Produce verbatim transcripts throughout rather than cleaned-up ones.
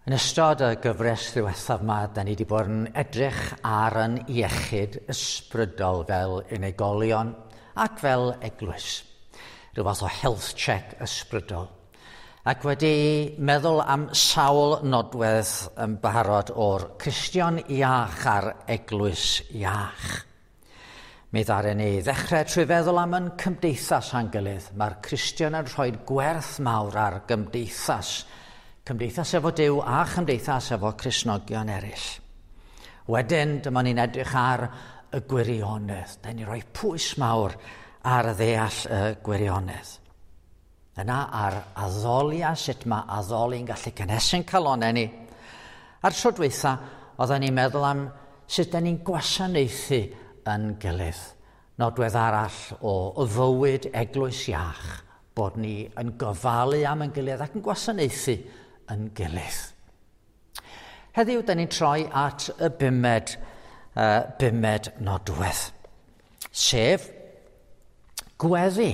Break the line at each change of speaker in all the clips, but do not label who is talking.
Yn ystod y gyfres ddiwethaf yma, da ni wedi bod yn edrych ar yn iechyd ysbrydol fel unigolion ac fel eglwys. Rhyw fath o health check ysbrydol. Ac wedi meddwl am sawl nodwedd yn barod o'r Cristion iach a'r eglwys iach. Mi ddaru ni ddechrau trwy feddwl am yn cymdeithas a'n gilydd. Mae'r Cristion yn rhoi gwerth mawr ar gymdeithas Cymdeithas efo Duw a chymdeithas efo Cristnogion eraill. Wedyn, dyma ni'n edrych ar y gwirionedd. Da ni'n rhoi pwys mawr ar ddeall y gwirionedd. Yna ar addoli a sut mae addoli'n gallu cynhesu'n calonau ni. A'r tro dwytha, oedden ni'n meddwl am sut da ni'n gwasanaethu yn gilydd. Nodwedd arall o fywyd eglwys iach, bod ni yn gofalu am yn gilydd ac yn gwasanaethu yn gilydd. Heddiw, da ni'n troi at y bumed, uh, bumed nodwedd, sef gweddi.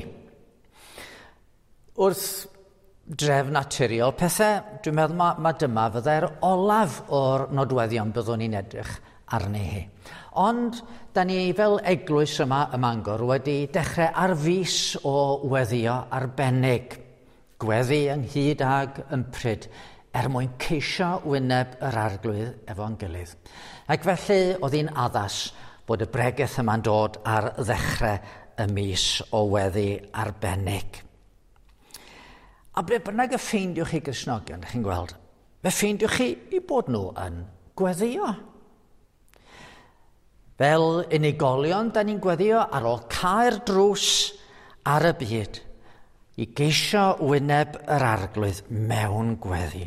Wrth drefn naturiol pethau, dwi'n meddwl ma, ma dyma fyddai'r olaf o'r nodweddion byddwn ni'n edrych arni hi. Ond, da ni fel eglwys yma ym Mangor wedi dechrau ar fis o weddio arbennig. Gweddi ynghyd ag ympryd er mwyn ceisio wyneb yr Arglwydd efo'n gilydd. Ac felly oedd hi'n addas bod y bregeth yma'n dod ar ddechrau y mis o weddi arbennig. A ble bynnag y ffeindiwch chi Gristnogion, chi'n gweld, fe ffeindiwch chi i bod nhw yn gweddio. Fel unigolion, da ni'n gweddio ar ôl cau'r drws ar y byd i geisio wyneb yr Arglwydd mewn gweddi.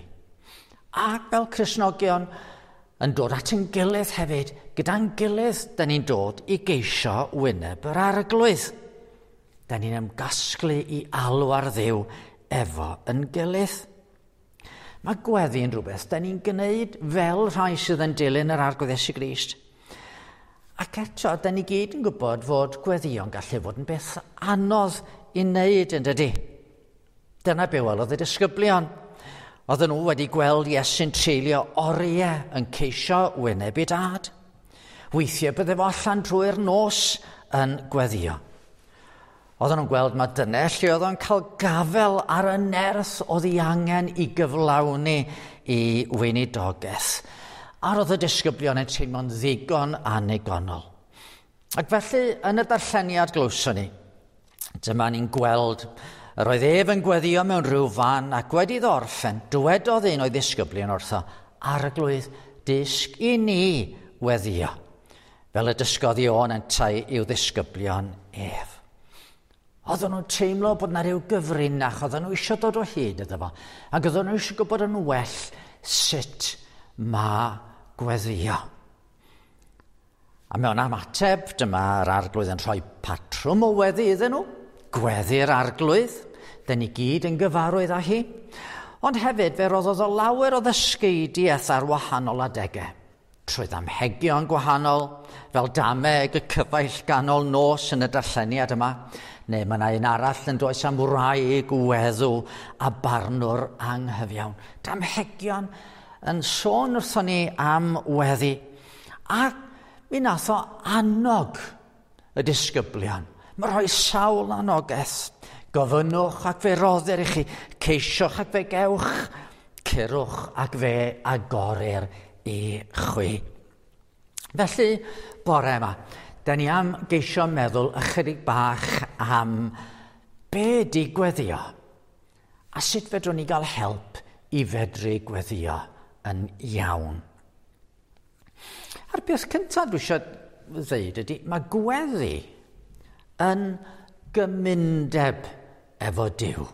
Ac fel Cristnogion yn dod at ein gilydd hefyd, gyda'n gilydd, da ni'n dod i geisio wyneb yr Arglwydd. Da ni'n ymgasglu i alw ar Dduw efo yn gilydd. Mae gweddi yn rhywbeth da ni'n gwneud fel rhai sydd yn dilyn yr Arglwydd Iesu Grist. Ac eto, da ni gyd yn gwybod fod gweddïo'n gallu fod yn beth anodd i wneud, yn dydy. Dyna be welodd y disgyblion. Oedden nhw wedi gweld Iesu'n treulio oriau yn ceisio wyneb ei dad. Weithiau bydde fo allan drwy'r nos yn gweddio. Oedden nhw'n gweld mae dyna lle oedd o'n cael gafel ar y nerth oedd ei angen i gyflawni i weinidogaeth. A roedd y disgyblion yn teimlo'n ddigon annigonol. Ac felly, yn y darlleniad glywson ni, dyma ni'n gweld yr oedd ef yn gweddio mewn rhyw fan ac wedi iddo orffen, dywedodd un o'i ddisgyblion wrtho, Arglwydd, dysg i ni weddio, fel y dysgodd Ioan yntau i'w ddisgyblion ef. Oedden nhw'n teimlo bod yna rhyw gyfrinach, oedden nhw eisiau dod o hyd iddo fo, ac oedden nhw eisiau gwybod yn well sut mae gweddio. A mewn ymateb, dyma'r Arglwydd yn rhoi patrwm o weddi iddyn nhw, gweddi'r Arglwydd, dyn ni gyd yn gyfarwydd â hi. Ond hefyd fe roddodd o lawer o ddysgeidiaeth ar wahanol adegau, trwy ddamhegion gwahanol, fel dameg y cyfaill ganol nos yn y darlleniad yma, neu mae yna un arall yn does am wraig weddw a barnwr anghyfiawn. Damhegion yn sôn wrthon ni am weddi, ac mi nath o annog y disgyblion. Mae rhoi sawl anogaeth. Gofynnwch ac fe roddir i chi, ceisiwch ac fe gewch, curwch ac fe agorir i chwi. Felly, bore yma, da ni am geisio meddwl ychydig bach am be di gweddio a sut fedrwn ni gael help i fedru gweddio yn iawn. A'r peth cyntaf dwi eisiau ddeud ydy, mae gweddi yn gymundeb efo Duw.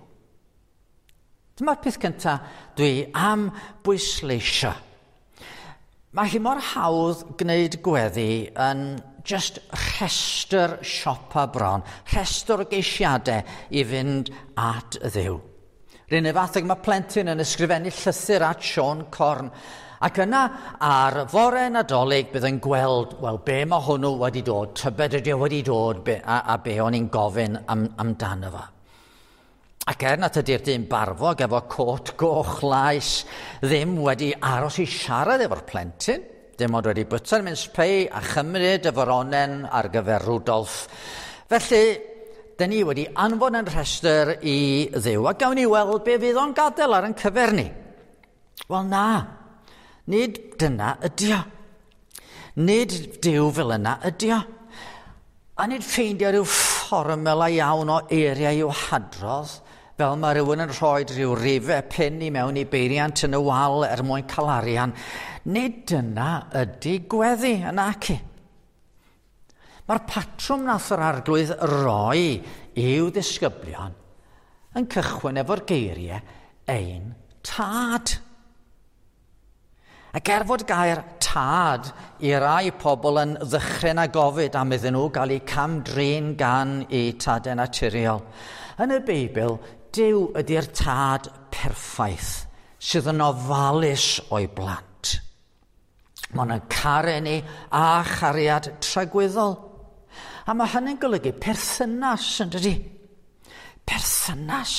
Dyma'r peth cyntaf dwi am bwysleisio. Mae hi mor hawdd gwneud gweddi yn just rhestr siopa bron, rhestr o geisiadau i fynd at Dduw. R'un fath ag mae plentyn yn ysgrifennu llythyr at Siôn Corn, ac yna ar fore Nadolig bydd yn gweld, wel, be mae hwnnw wedi dod, tybed ydy o wedi dod, be, a, a be o'n i'n gofyn am, amdano fo. Ac er nad ydy'r dyn barfog efo cot goch laes ddim wedi aros i siarad efo'r plentyn, dim ond wedi bwyta'r mince pie a chymryd y foronen ar gyfer Rudolf. Felly, dyn ni wedi anfon yn rhestr i Dduw, a gawn ni weld be fydd o'n gadael ar yn cyfer ni. Wel na, nid dyna ydi o. Nid Duw fel yna ydi o. A nid ffeindio rhyw fformula iawn o eiriau i'w hadrodd, fel mae rhywun yn rhoi rhyw rifau pin i mewn i beiriant yn y wal er mwyn cael arian. Nid dyna ydy gweddi yn aci. Mae'r patrwm nath yr Arglwydd roi i'w ddisgyblion yn cychwyn efo'r geiriau ein tad. Ac er fod gair tad i rai pobl yn ddychryn a gofid am iddyn nhw gael eu cam-drin gan eu tadau naturiol, yn y Beibl, Duw ydy'r tad perffaith sydd yn ofalus o'i blant. Mae'n yn caru ni a chariad tragwyddol. A mae hynny'n golygu perthynas, yn dydi? Perthynas.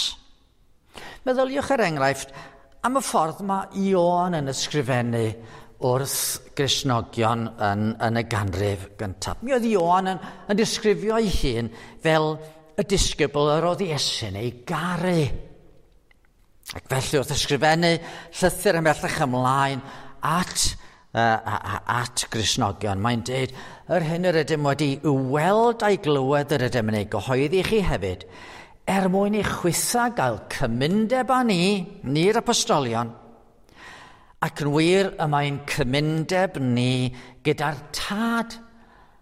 Meddyliwch er enghraifft am y ffordd mae Ioan yn ysgrifennu wrth Gristnogion yn, yn y ganrif gyntaf. Mi oedd Ioan yn, yn disgrifio ei hun fel y disgybl yr oedd Iesu'n ei garu. Ac felly wrth ysgrifennu llythyr ymhellach ymlaen at, uh, at Gristnogion, mae'n dweud, yr hyn yr ydym wedi weld a'i glywed yr ydym yn ei gyhoeddi chi hefyd, er mwyn i chwitha gael cymundeb â ni, ni'r apostolion, ac yn wir y mae'n cymundeb ni gyda'r tad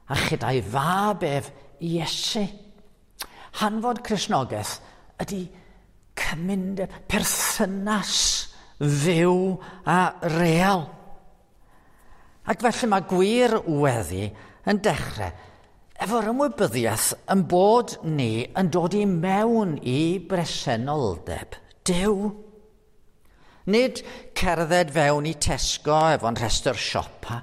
a chyda'i fab ef Iesu. Hanfod Cristnogaeth ydy cymundeb, perthynas fyw a real. Ac felly mae gwir weddi yn dechrau efo'r ymwybyddiaeth yn bod ni yn dod i mewn i bresenoldeb Duw. Nid cerdded fewn i Tesco efo'n rhestr siopa,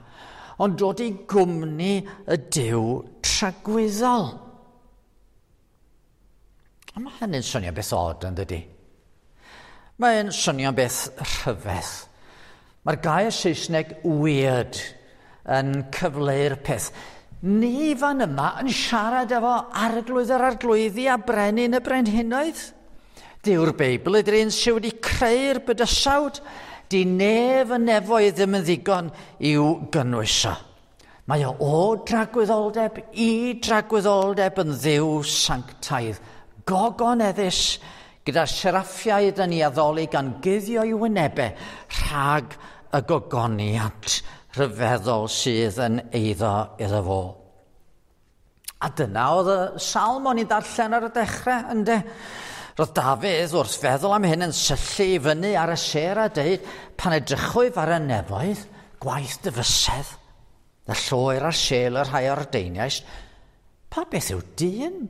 ond dod i gwmni y Duw tragwyddol. A mae hynny'n swnio beth od, yn dydi? Mae'n swnio beth rhyfedd. Mae'r gair Saesneg weird yn cyfleu'r peth. Ni fan yma yn siarad efo arglwydd yr arglwyddi a brenin y brenhinoedd. Dyw'r Beibl ydy'r un sydd wedi creu'r bydysawd. Di nef y nefoedd ddim yn ddigon i'w gynnwys o. Mae o o dragwyddoldeb i dragwyddoldeb yn Dduw sanctaidd, gogoneddus, gyda'r seraffiaid yn ei addoli gan guddio i wynebau rhag y gogoniant rhyfeddol sydd yn eiddo iddo fo. A dyna oedd y salm o'n i'n darllen ar y dechrau, ynde? Roedd Dafydd wrth feddwl am hyn yn syllu i fyny ar y sêr a deud, pan edrychwyf ar y nefoedd, gwaith dy fysedd, y lloer a'r sêl y rhai ordeiniais, pa beth yw dyn?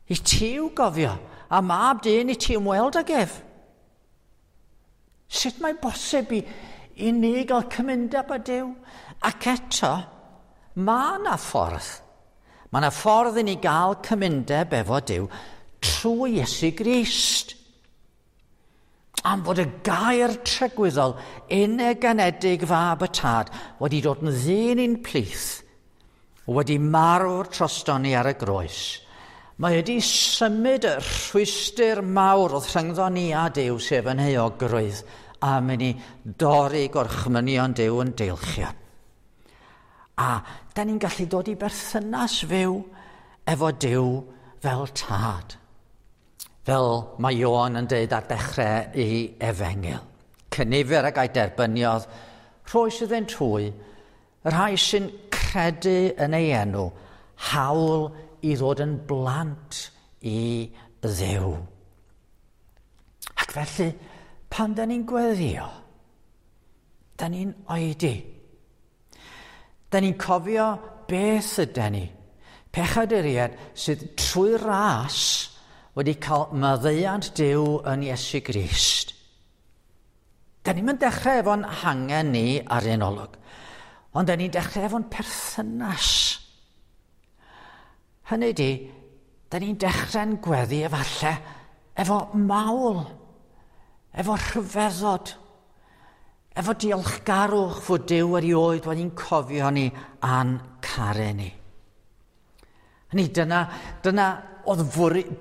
I ti i'w gofio, a mab dyn i ti ymweld ag ef. Sut mae bosib i, i ni gael cymundeb â Duw? Ac eto, mae yna ffordd. Mae yna ffordd i ni gael cymundeb efo Duw trwy Iesu Grist. Am fod y gair tragwyddol unig-anedig fab y tad wedi dod yn ddyn i'n plith, wedi marw'r troston ni ar y groes. Mae wedi symud y rhwystr mawr oedd rhyngddo ni a Duw, sef yn euogrwydd, a mynd i dorri gorchmynion Duw yn deilchion. A da ni'n gallu dod i berthynas fyw efo Duw fel tad. Fel mae Ioan yn dweud ar dechrau ei efengyl. Cynifer ag a'i derbyniodd, rhoes iddynt hwy, y rhai sy'n credu yn ei enw, hawl i ddod yn blant i Dduw. Ac felly, pan da ni'n gweddio, da ni'n oedi. Da ni'n cofio beth ydy ni. Pechaduriaid sydd trwy ras wedi cael maddeuant Duw yn Iesu Grist. Da ni'n mynd dechrau efo'n hangen ni ar un olwg, ond da ni'n dechrau efo'n perthynas. Hynny di, da ni'n dechrau'n gweddi efallai Efo mawl, efo rhyfeddod, efo diolchgarwch fod Duw erioed wedi'n cofio ni a'n caru ni. Hynny, dyna, dyna oedd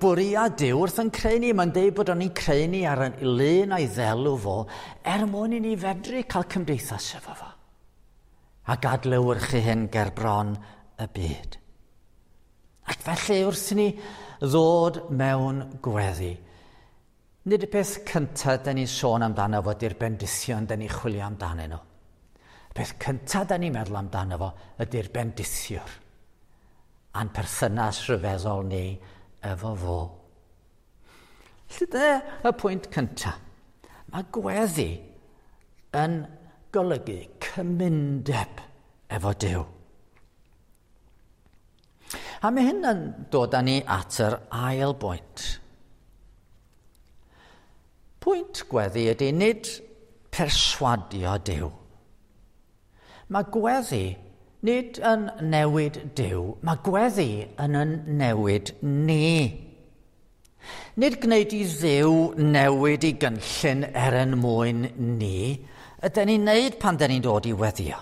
bwriad Duw wrth yn creu ni. Mae'n deud bod o'n i'n creu ni ar y lun a'i ddelw fo, er mwyn i ni fedru cael cymdeithas efo fo. A gadlewyrchu hyn ger bron y byd. Ac felly wrth i ni ddod mewn gweddi, nid y peth cyntaf da ni'n sôn amdano fo ydy'r bendithion da ni'n chwilio amdanyn nhw. Y peth cyntaf da ni'n meddwl amdano fo ydy'r bendithiwr a'n perthynas rhyfeddol ni efo fo. Felly dyna y pwynt cyntaf. Mae gweddi yn golygu cymundeb efo Duw. A mae hyn yn dod â ni at yr ail bwynt. Pwynt gweddi ydy nid perswadio Duw. Mae gweddi nid yn newid Duw, mae gweddi yn yn newid ni. Nid gwneud i Dduw newid i gynllun er yn mwyn ni, ydyn ni'n neud pan dyn ni'n dod i weddio.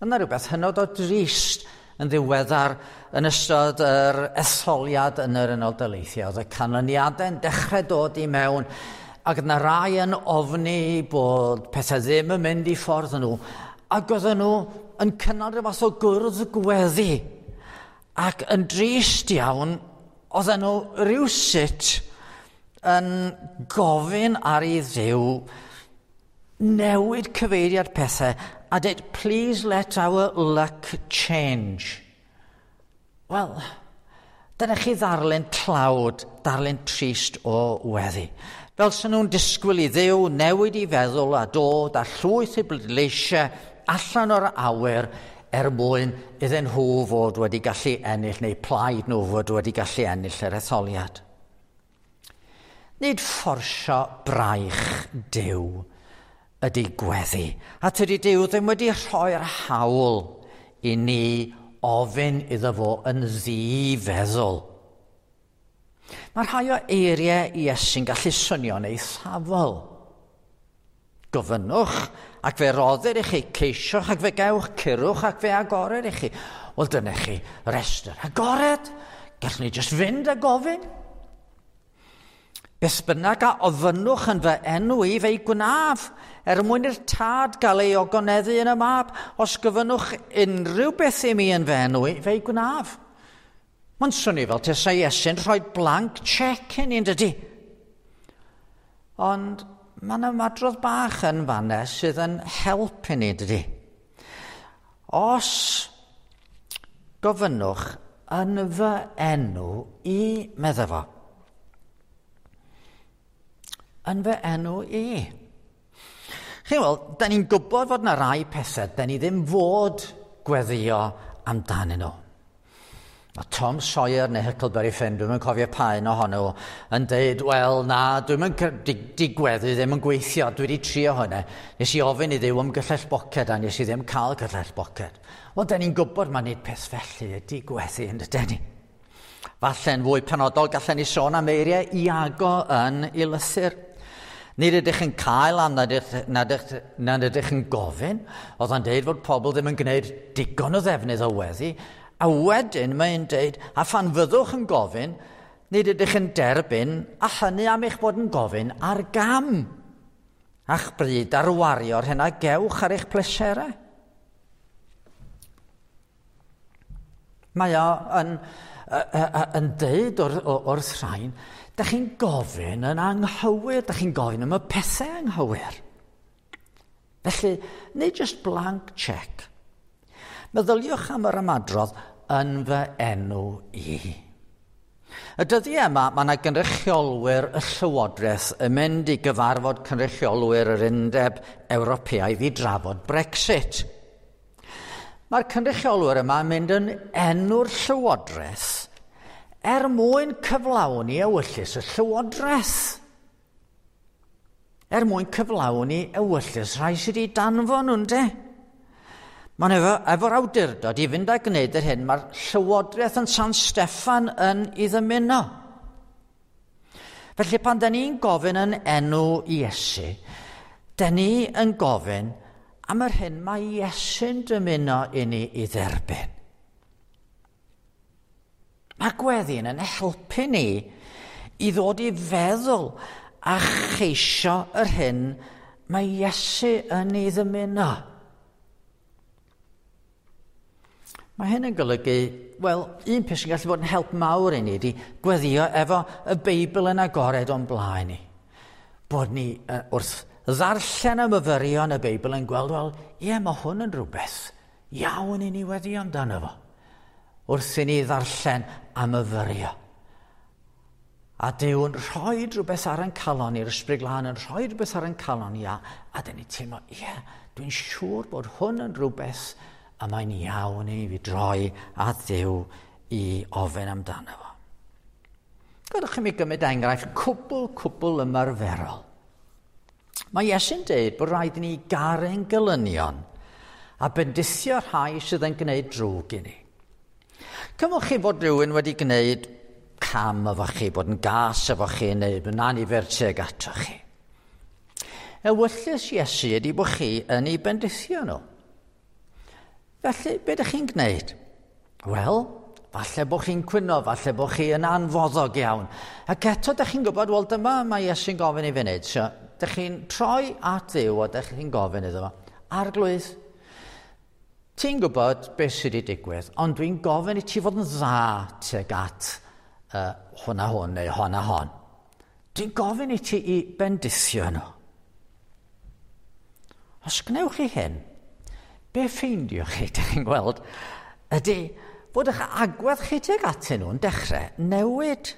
Yna rhywbeth hynod o drist yn ddiweddar yn ystod yr etholiad yn yr Unol Daleithiau. Oedd y canlyniadau'n dechrau dod i mewn, ac yna rai yn ofni bod pethau ddim yn mynd i ffordd nhw, ac oedden nhw yn cynnal rhyw fath o gwrdd gweddi. Ac yn drist iawn, oedden nhw rywsut yn gofyn ar i Dduw newid cyfeiriad pethau a dweud, "Please let our luck change." Wel, dyna chi ddarlun tlawd, darlun trist o weddi. Fel sy'n nhw'n disgwyl i Dduw newid i feddwl a dod a llwyth i bleidleisiau allan o'r awyr er mwyn iddyn nhw fod wedi gallu ennill, neu plaid nhw fod wedi gallu ennill yr etholiad. Nid fforsio braich Duw ydy gweddi. A tydi Duw ddim wedi rhoi'r hawl i ni ofyn iddo fo yn ddi-feddwl. Mae rhai o eiriau Iesu'n gallu swnio'n eithafol. Gofynnwch ac fe roddir i chi, ceisiwch ac fe gewch, curwch ac fe agorir i chi. Wel, dyna chi restr agored. Gallwn ni jyst fynd a gofyn. Beth bynnag a ofynnwch yn fy enw i, fe'i gwnaf, er mwyn i'r Tad gael ei ogoneddu yn y Mab. Os gofynnwch unrhyw beth i mi yn fy enw i, fe'i gwnaf. Mae'n swnio fel tasa Iesu'n rhoi blank check i ni, yn dydi? Ond mae yna ymadrodd bach yn fanna sydd yn help i ni, dydi? Os gofynnwch yn fy enw i, medda fo. Yn fy enw i. Chi'n weld, da ni'n gwybod fod yna rai pethau da ni ddim fod gweddio amdanyn nhw. Mae Tom Sawyer neu Huckleberry Finn, dwi'm yn cofio pa un ohonyn nhw, yn deud, "Wel, na, dwi'm yn di, di gweddi ddim yn gweithio, dwi wedi trio hwnna. Nes i ofyn i Dduw am gyllell boced a nes i ddim cael gyllell boced." Wel, da ni'n gwybod mae nid peth felly ydy gweddi, yn dydyn ni? Falle'n fwy penodol gallen ni sôn am eiriau Iago yn ei lythyr. Nid ydych yn cael am nad ydych, nad ydych, nad ydych yn gofyn. Oedd o'n deud fod pobl ddim yn gwneud digon o ddefnydd o weddi. A wedyn mae'n deud, a phan fyddwch yn gofyn, nid ydych yn derbyn, a hynny am eich bod yn gofyn ar gam. A'ch bryd ar wario'r hyn a gewch ar eich pleserau. Mae o yn, yn deud wrth, wrth rhain, da chi'n gofyn yn anghywir, da chi'n gofyn am y pethau anghywir. Felly, nid just blank check. Meddyliwch am yr ymadrodd yn fy enw i. Y dyddiau yma, mae yna gynrychiolwyr y Llywodraeth yn mynd i gyfarfod cynrychiolwyr yr Undeb Ewropeaidd i drafod Brexit. Mae'r cynrychiolwyr yma yn mynd yn enw'r Llywodraeth er mwyn cyflawni ewyllys y Llywodraeth. Er mwyn cyflawni ewyllys rhai sydd wedi danfon nhw'n de. Mae'n efo, efo'r awdurdod i fynd a gwneud yr hyn mae'r Llywodraeth yn San Steffan yn ei ddymuno. Felly pan da ni'n gofyn yn enw Iesu, da ni yn gofyn am yr hyn mae Iesu'n dymuno i ni i dderbyn. Mae gweddi'n yn helpu ni i ddod i feddwl a cheisio yr hyn mae Iesu yn ei ddymuno. Mae hyn yn golygu, wel, un peth sy'n gallu bod yn help mawr i ni ydy gweddio efo y Beibl yn agored o'n blaen ni. Bod ni uh, wrth ddarllen y myfyrio yn y Beibl yn gweld, wel, ie, mae hwn yn rhywbeth iawn i ni weddio amdano fo. Wrth i ni ddarllen a myfyrio. A Duw yn rhoi rhywbeth ar ein calon i'r Ysbryd Glân yn rhoi rhywbeth ar ein calon i, a, a dyn ni teimlo, ie, dwi'n siŵr bod hwn yn rhywbeth a mae'n iawn i fi droi at Dduw i ofyn amdano fo. Gadewch i mi gymryd enghraifft cwbl, cwbl ymarferol. Mae Iesu'n dweud bod rhaid i ni garu'n gelynion a bendithio rhai sydd yn gwneud drwg i ni. Cymwch chi fod rhywun wedi gwneud cam efo chi, bod yn gas efo chi neu yn anifyr tuag ato chi. Ewyllys Iesu ydy bod chi yn ei bendithio nhw. Felly, be ydych chi'n gwneud? Wel, falle bod chi'n cwyno, falle bod chi yn anfoddog iawn. Ac eto, ydych chi'n gwybod, wel, dyma mae Iesu'n gofyn i fi wneud. So, ydych chi'n troi at Dduw a ydych chi'n gofyn iddo fo. Arglwydd, ti'n gwybod beth sydd wedi digwydd, ond dwi'n gofyn i ti fod yn dda tuag at uh, hwn a hwn neu hon a hon. Dwi'n gofyn i ti i bendithio nhw. Os gwnewch chi hyn, be ffeindiwch chi, dych chi'n gweld, ydy fod eich agwedd chi tuag atyn nhw'n dechrau newid.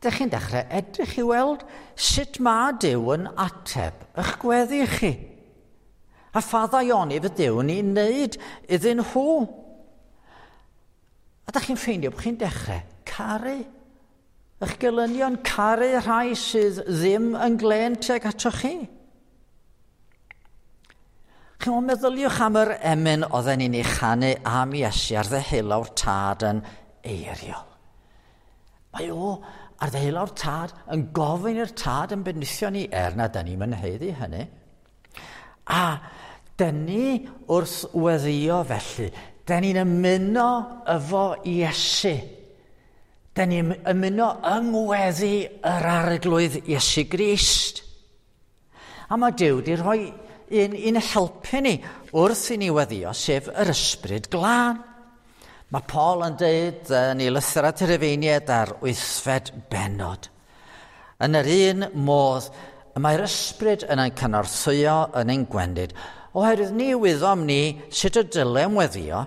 Dych chi'n dechrau edrych i weld sut mae Duw yn ateb eich gweddi chi. A pha ddaioni fydd Duw yn ei wneud iddyn nhw. A dych chi'n ffeindio bod chi'n dechrau caru. Eich gelynion, caru rhai sydd ddim yn glên tuag atoch chi. Chi'n meddyliwch am yr emyn oedden ni'n ei chanu am Iesu ar ddeheulaw'r Tad yn eiriol. Mae o ar ddeheulaw'r Tad yn gofyn i'r Tad yn bendithio ni, er na dyn ni'n haeddu hynny. A dyn ni wrth weddio felly, dyn ni'n ymuno efo Iesu. Dyn ni'n ymuno yng ngweddi yr Arglwydd Iesu Grist. A mae Duw wedi rhoi un i'n helpu ni wrth i ni weddio, sef yr Ysbryd Glân. Mae Paul yn dweud yn ei lythyr at y Rufeiniaid ar wythfed bennod. Yn yr un modd, mae'r Ysbryd yn ein cynorthwyo yn ein gwendid, oherwydd ni wyddom ni sut y dylem weddio,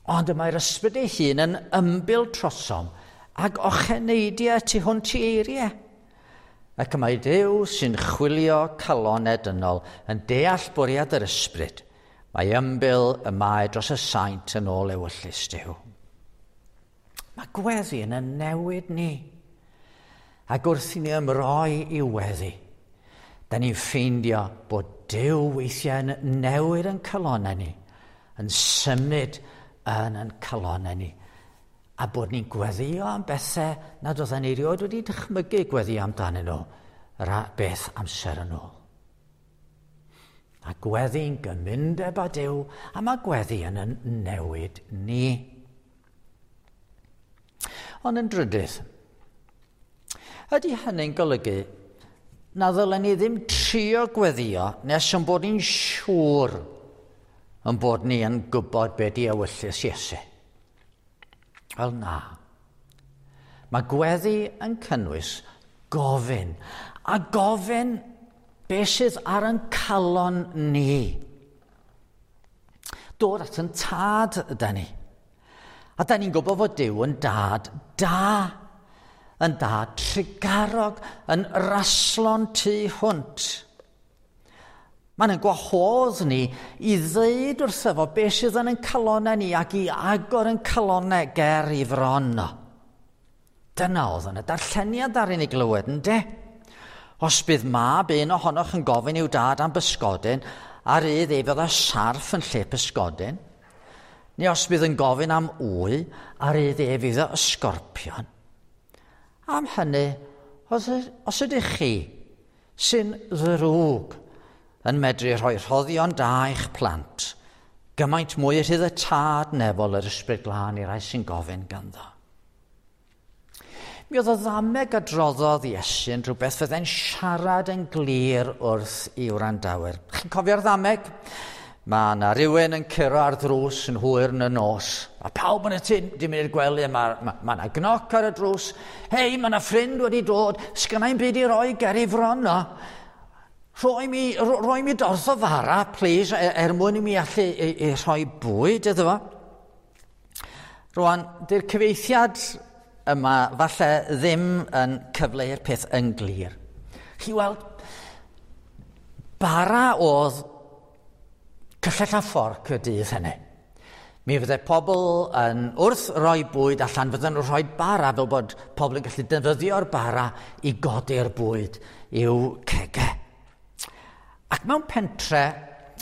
ond y mae'r Ysbryd ei hun yn ymbil trosom ac ocheneidiau tu hwnt i eiriau. Ac y mae Duw sy'n chwilio calonau dynol yn deall bwriad yr Ysbryd. Mae ymbil y mae dros y saint yn ôl ewyllys Duw. Mae gweddi yn y newid ni. Ac wrth i ni ymroi i weddi, da ni'n ffeindio bod Duw weithiau yn newid yn calonau ni, yn symud yn yn calonau ni, a bod ni'n gweddio am bethau nad oedden ni erioed wedi dychmygu gweddio amdanyn nhw yr beth amser yn ôl. A gweddi'n gymundeb â Duw, a mae gweddi yn yn newid ni. Ond yn drydydd, ydy hynny'n golygu na ddylen ni ddim trio gweddio nes yn bod ni'n siŵr yn bod ni yn gwybod be di ewyllys Iesu? Wel na. Mae gweddi yn cynnwys gofyn, a gofyn beth sydd ar ein calon ni. Dod at yn tad yda ni. A da ni'n gwybod fod Duw yn dad da, yn dad trugarog, yn raslon tu hwnt. Mae'n ein gwahodd ni i ddeud wrtho fo beth sydd yn ein calonau ni ac i agor ein calonau ger i fron o. Dyna oedd yn y darlleniad ar ei glywed, ynde? Os bydd mab un ohonoch yn gofyn i'w dad am bysgodyn, a rydd ef oedd â sarff yn lle pysgodyn, neu os bydd yn gofyn am wy, a rydd ef iddo ysgorpion. Am hynny, os, os ydych chi sy'n ddrwg yn medru rhoi rhoddion da i'ch plant, gymaint mwy rhydd y Tad nefol yr Ysbryd Glân i rai sy'n gofyn ganddo. Mi oedd y ddameg adroddodd Iesu yn rhywbeth fydde'n siarad yn glir wrth i wrandawyr. Chi'n cofio'r ddameg? Mae yna rhywun yn curo ar ddrws yn hwyr yn y nos. A pawb yn y tŷ di mynd i'r gwely, mae ma, ma yna gnoc ar y drws. Hei, mae yna ffrind wedi dod, sgynna i'm byd i roi ger ei fron o. Rhoi mi, rhoi mi dorth o fara, please, er, er mwyn i mi allu i, i rhoi bwyd iddo fo. Rwan, dy'r cyfeithiad yma falle ddim yn cyfleu'r peth yn glir. Chi weld, bara oedd cyllell a fforc y dydd hynny. Mi fydde pobl yn wrth roi bwyd allan, fydden nhw'n rhoi bara fel bod pobl yn gallu defnyddio'r bara i godi'r bwyd i'w cegau. Ac mewn pentre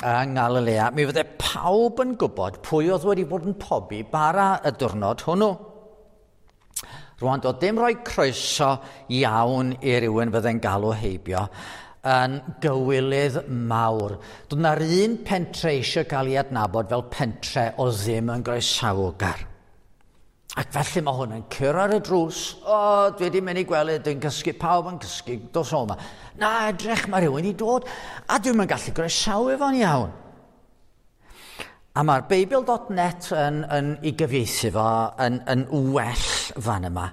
yng Nghalilea, mi fydde pawb yn gwybod pwy oedd wedi bod yn pobi bara y diwrnod hwnnw. Rwan, doedd dim rhoi croeso iawn i rywun fydde'n galw heibio yn gywilydd mawr. Doedd na'r un pentre eisiau cael ei adnabod fel pentre o ddim yn groesawgar. Ac felly mae hwn yn curo ar y drws. O, dwi wedi mynd i gwely, dwi'n cysgu, pawb yn cysgu, dos o yma. Na, edrych, mae rhywun i dod, a dwi'n mynd gallu groesawu fo'n iawn. A mae'r Beibl dot net yn, yn ei gyfieithu fo yn, yn well fan yma.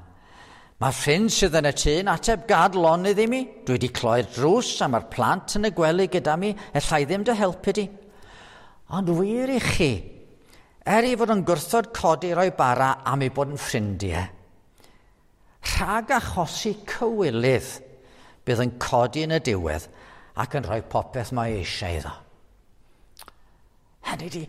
Mae'r ffrind sydd yn y tŷ yn ateb, gad lonydd i mi. Dwi wedi cloi'r drws a mae'r plant yn y gwely gyda mi. Ella i ddim dy helpu di. Ond wir i chi, er ei fod yn gwrthod codi roi bara am ei bod yn ffrindiau, rhag achosi cywilydd bydd yn codi yn y diwedd ac yn rhoi popeth mae eisiau iddo. Hynny di,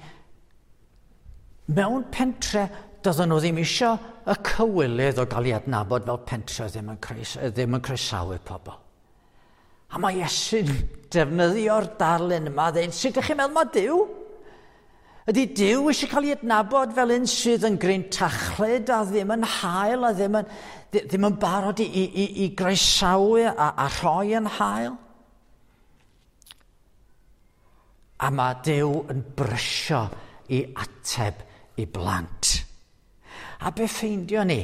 mewn pentre, doedden nhw ddim eisiau y cywilydd o gael ei adnabod fel pentre ddim yn, croes, ddim yn croesawu pobl. A mae Iesu'n defnyddio'r darlun yma, dweud, sut ydych chi'n meddwl mae Duw? Ydy Duw eisiau cael ei adnabod fel un sydd yn grintachlyd a ddim yn hael a ddim yn, ddim yn barod i, i, i, i groesawu a, a rhoi yn hael? A mae Duw yn brysio i ateb i blant. A be ffeindio ni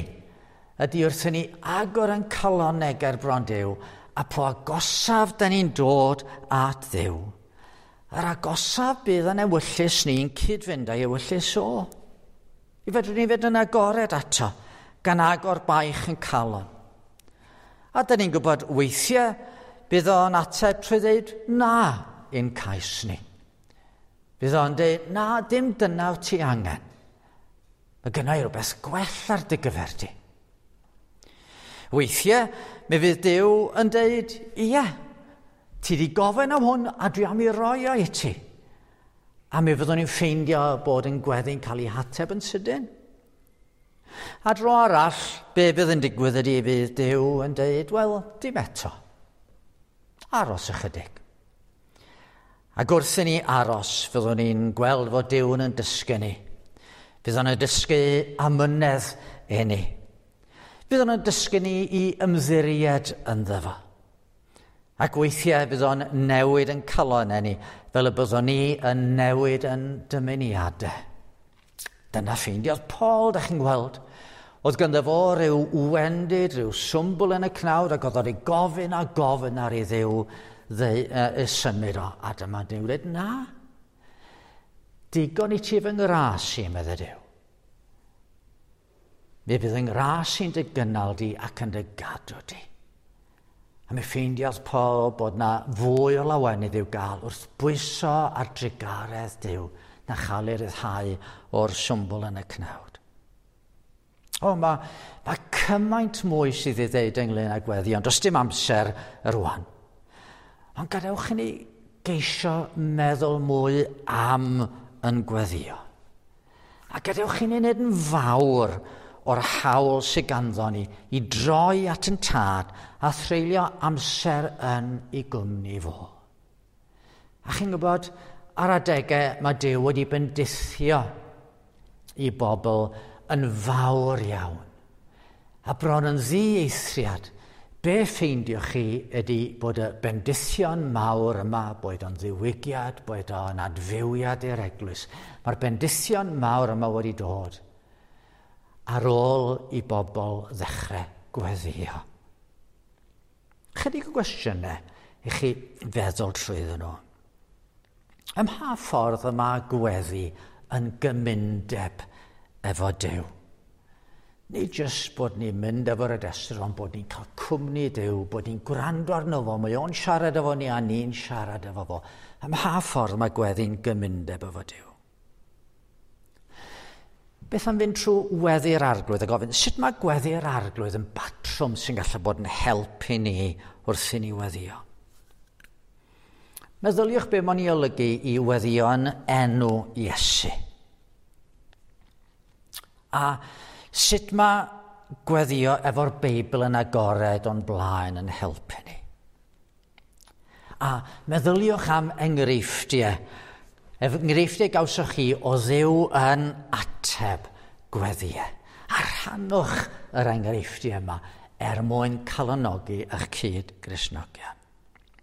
ydy wrth i ni agor yn calonnau ger bron Duw, a po agosaf da ni'n dod at Dduw, yr agosaf bydd yn ewyllys ni'n cyd-fynd â'i ewyllys o. I fedrwn ni fynd yn agored ato, gan agor baich yn calon. A da ni'n gwybod weithiau bydd o'n ateb trwy ddeud na i'n cais ni. Bydd o'n dweud, na, dim dyna wyt ti angen. Mae gynna i rhywbeth gwell ar dy gyfer di. Weithiau, mi fydd Duw yn dweud, ie, ti di gofyn am hwn a dwi am i roi o i ti. A mi fyddwn ni'n ffeindio bod yn gweddi'n cael ei hateb yn sydyn. A dro arall, be bydd yn digwydd ydy fydd Duw yn dweud, wel, dim eto. Aros ychydig. Ac wrth i ni aros, fyddwn ni'n gweld fod Duw yn dysgu ni. Fydd o'n dysgu amynedd i ni. Fydd o'n dysgu ni i ymddiried ynddo fo. Ac weithiau fydd o'n newid yn calon ni, fel y byddwn ni yn newid yn dymuniadau. Dyna ffeindiodd Paul, da chi'n gweld. Oedd ganddo fo rhyw wendid, rhyw swmbl yn y cnawd, ac oedd o'n ei gofyn a gofyn ar ei Dduw ddeu, uh, symud o. A dyma Duw dweud, na, digon i ti fy ngras i, medde Duw. Mi fydd yng ngras i'n dy gynnal di ac yn dy gadw di. A mi ffeindiodd Paul bod na fwy o lawenydd i'w gael wrth bwyso ar drugaredd Duw na chael ei ryddhau o'r swmbl yn y cnawd. O, mae, mae cymaint mwy sydd i ddeud ynglyn â gweddi, ond does dim amser rwan. Ond gadewch i ni geisio meddwl mwy am yn gweddio. A gadewch i ni wneud yn fawr o'r hawl sydd ganddo ni i droi at yn tad a threulio amser yn ei gwmni fo. A chi'n gwybod, ar adegau mae Duw wedi bendithio i bobl yn fawr iawn. A bron yn ddieithriad, be ffeindioch chi ydy bod y bendithion mawr yma, boed o'n ddiwygiad, boed o'n adfywiad i'r eglwys, mae'r bendithion mawr yma wedi dod ar ôl i bobl ddechrau gweddio. Chydig o gwestiynau i chi feddwl trwyddyn nhw. Ym mha ffordd y mae gweddi yn gymundeb efo Duw? Nid jyst bod ni'n mynd efo'r adestr, ond bod ni'n cael cwmni Duw, bod ni'n gwrando arno fo, mae o'n siarad efo ni a ni'n siarad efo fo. Ym mha ffordd mae gweddi'n gymundeb efo Duw? Beth am fynd trwy weddi'r Arglwydd a gofyn, sut mae gweddi'r Arglwydd yn batrwm sy'n gallu bod yn helpu ni wrth i ni weddio? Meddyliwch be mae'n ei olygu i weddio yn enw Iesu. A sut mae gweddio efo'r Beibl yn agored o'n blaen yn helpu ni? A meddyliwch am enghreifftiau. Enghreifftiau gawsoch chi o Dduw yn ateb gweddiau. A rhannwch yr enghreifftiau yma er mwyn calonogi eich cyd Gristnogion.